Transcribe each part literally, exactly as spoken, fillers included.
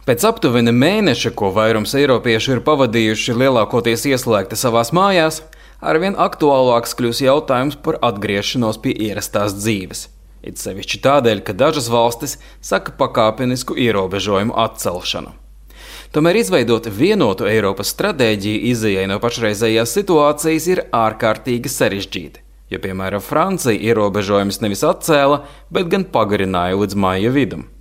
Pēc aptuveni mēneša, ko vairums eiropiešu ir pavadījuši lielākoties ieslēgti savās mājās, arvien aktuālāks kļūs jautājums par atgriešanos pie ierastās dzīves. It sevišķi tādēļ, ka dažas valstis saka pakāpenisku ierobežojumu atcelšanu. Tomēr izveidot vienotu Eiropas stratēģiju izejai no pašreizējās situācijas ir ārkārtīgi sarežģīti, jo, piemēram, Francija ierobežojumus nevis atcēla, bet gan pagarināja līdz maija vidum.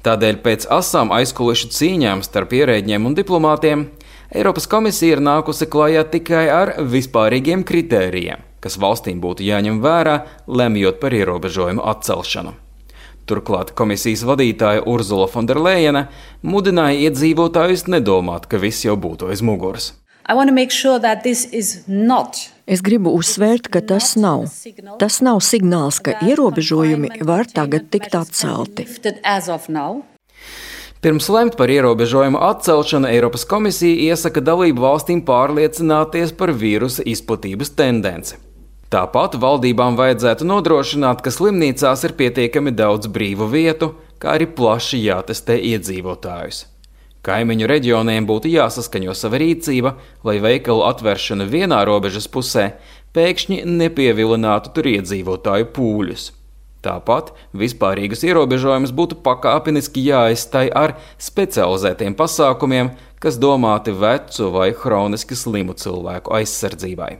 Tādēļ pēc asām aizkulišu cīņām starp ierēģiem un diplomātiem Eiropas komisija ir nākusi klajā tikai ar vispārīgiem kritērijiem, kas valstīm būtu jāņem vērā, lemjot par ierobežojumu atcelšanu. Turklāt komisijas vadītāja Urzula Fonderlejene mudināja iedzīvotājus nedomāt, ka viss jau būtu aiz muguras. Es gribu uzsvērt, ka tas nav. Tas nav signāls, ka ierobežojumi var tagad tikt atcelti. Pirms lemt par ierobežojumu atcelšanu, Eiropas komisija iesaka dalību valstīm pārliecināties par vīrusa izplatības tendenci. Tāpat valdībām vajadzētu nodrošināt, ka slimnīcās ir pietiekami daudz brīvu vietu, kā arī plaši jātestē iedzīvotājus. Kaimiņu reģioniem būtu jāsaskaņo sava rīcība, lai veikalu atvēršana vienā robežas pusē pēkšņi nepievilinātu tur iedzīvotāju pūļus. Tāpat vispārīgus ierobežojumus būtu pakāpeniski jāaizstāj ar specializētiem pasākumiem, kas domāti vecu vai hroniski slimu cilvēku aizsardzībai.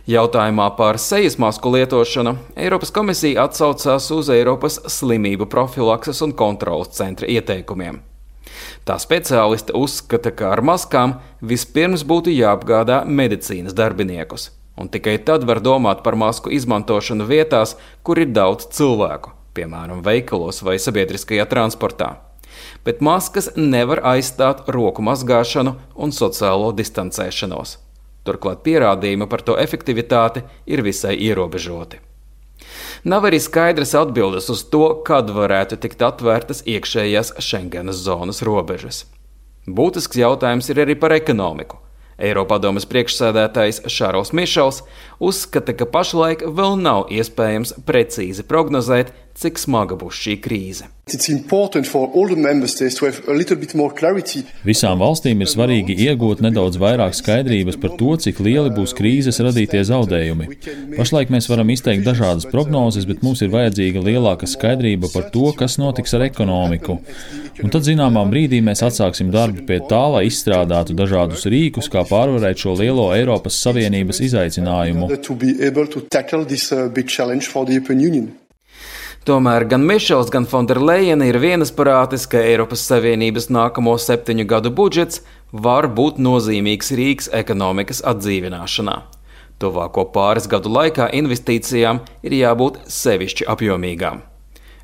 Jautājumā par sejas masku lietošanu Eiropas komisija atsaucās uz Eiropas slimību profilakses un kontrolas centra ieteikumiem. Tā speciāliste uzskata, ka ar maskām vispirms būtu jāapgādā medicīnas darbiniekus, un tikai tad var domāt par masku izmantošanu vietās, kur ir daudz cilvēku, piemēram, veikalos vai sabiedriskajā transportā. Bet maskas nevar aizstāt roku mazgāšanu un sociālo distancēšanos. Turklāt pierādījumi par to efektivitāti ir visai ierobežoti. Nav arī skaidras atbildes uz to, kad varētu tikt atvērtas iekšējās Schengenas zonas robežas. Būtisks jautājums ir arī par ekonomiku. Eiropadomes priekšsēdētājs Šarls Mišels uzskata, ka pašlaik vēl nav iespējams precīzi prognozēt, cik smaga būs šī krīze. Visām valstīm ir svarīgi iegūt nedaudz vairāk skaidrības par to, cik lieli būs krīzes radītie zaudējumi. Pašlaik mēs varam izteikt dažādas prognozes, bet mums ir vajadzīga lielāka skaidrība par to, kas notiks ar ekonomiku. Un tad zināmā brīdī mēs atsāksim darbu pie tā, lai izstrādātu dažādus rīkus, kā pārvarēt šo lielo Eiropas Savienības izaicinājumu. Tomēr gan Mišels, gan Fonderlejene ir vienasprātis, ka Eiropas Savienības nākamo septiņu gadu budžets var būt nozīmīgs rīks ekonomikas atdzīvināšanā. Tuvāko pāris gadu laikā investīcijām ir jābūt sevišķi apjomīgām.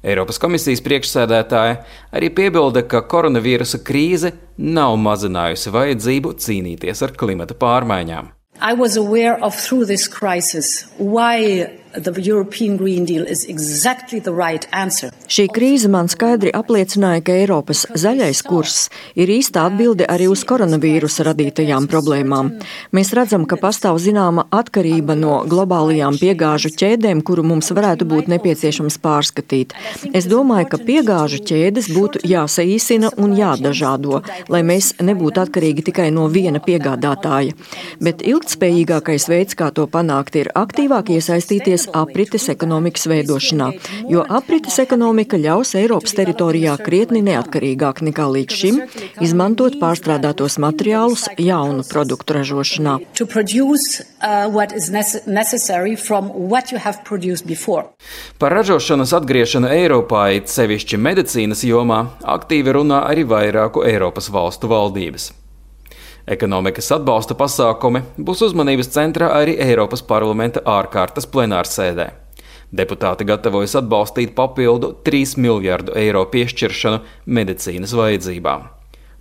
Eiropas komisijas priekšsēdētāja arī piebilda, ka koronavīrusa krīze nav mazinājusi vajadzību cīnīties ar klimata pārmaiņām. I was aware of through this crisis why the European Green Deal is exactly the right answer. Šī krīze man skaidri apliecināja, ka Eiropas zaļais kurs ir īsta atbilde arī uz koronavīrusa radītajām problēmām. Mēs redzam, ka pastāv zināma atkarība no globālajām piegāžu ķēdēm, kuru mums varētu būt nepieciešams pārskatīt. Es domāju, ka piegāžu ķēdes būtu jāsaīsina un jādažādo, lai mēs nebūtu atkarīgi tikai no viena piegādātāja. Bet ilgtspējīgākais veids, kā to panākt, ir aktīvāk iesaistīties aprites ekonomikas veidošanā, jo aprites ekonomika ļaus Eiropas teritorijā krietni neatkarīgāk nekā līdz šim izmantot pārstrādātos materiālus jaunu produktu ražošanā. Par ražošanas atgriešanu Eiropā, it sevišķi medicīnas jomā, aktīvi runā arī vairāku Eiropas valstu valdības. Ekonomikas atbalsta pasākumi būs uzmanības centrā arī Eiropas parlamenta ārkārtas plenārsēdē. Deputāti gatavojas atbalstīt papildu trīs miljardu eiro piešķiršanu medicīnas vajadzībām.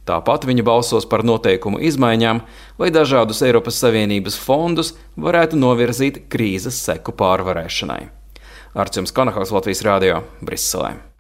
Tāpat viņi balsos par noteikumu izmaiņām, lai dažādus Eiropas Savienības fondus varētu novirzīt krīzes seku pārvarēšanai. Arčuns Kanahaus, Latvijas radio, Briselē.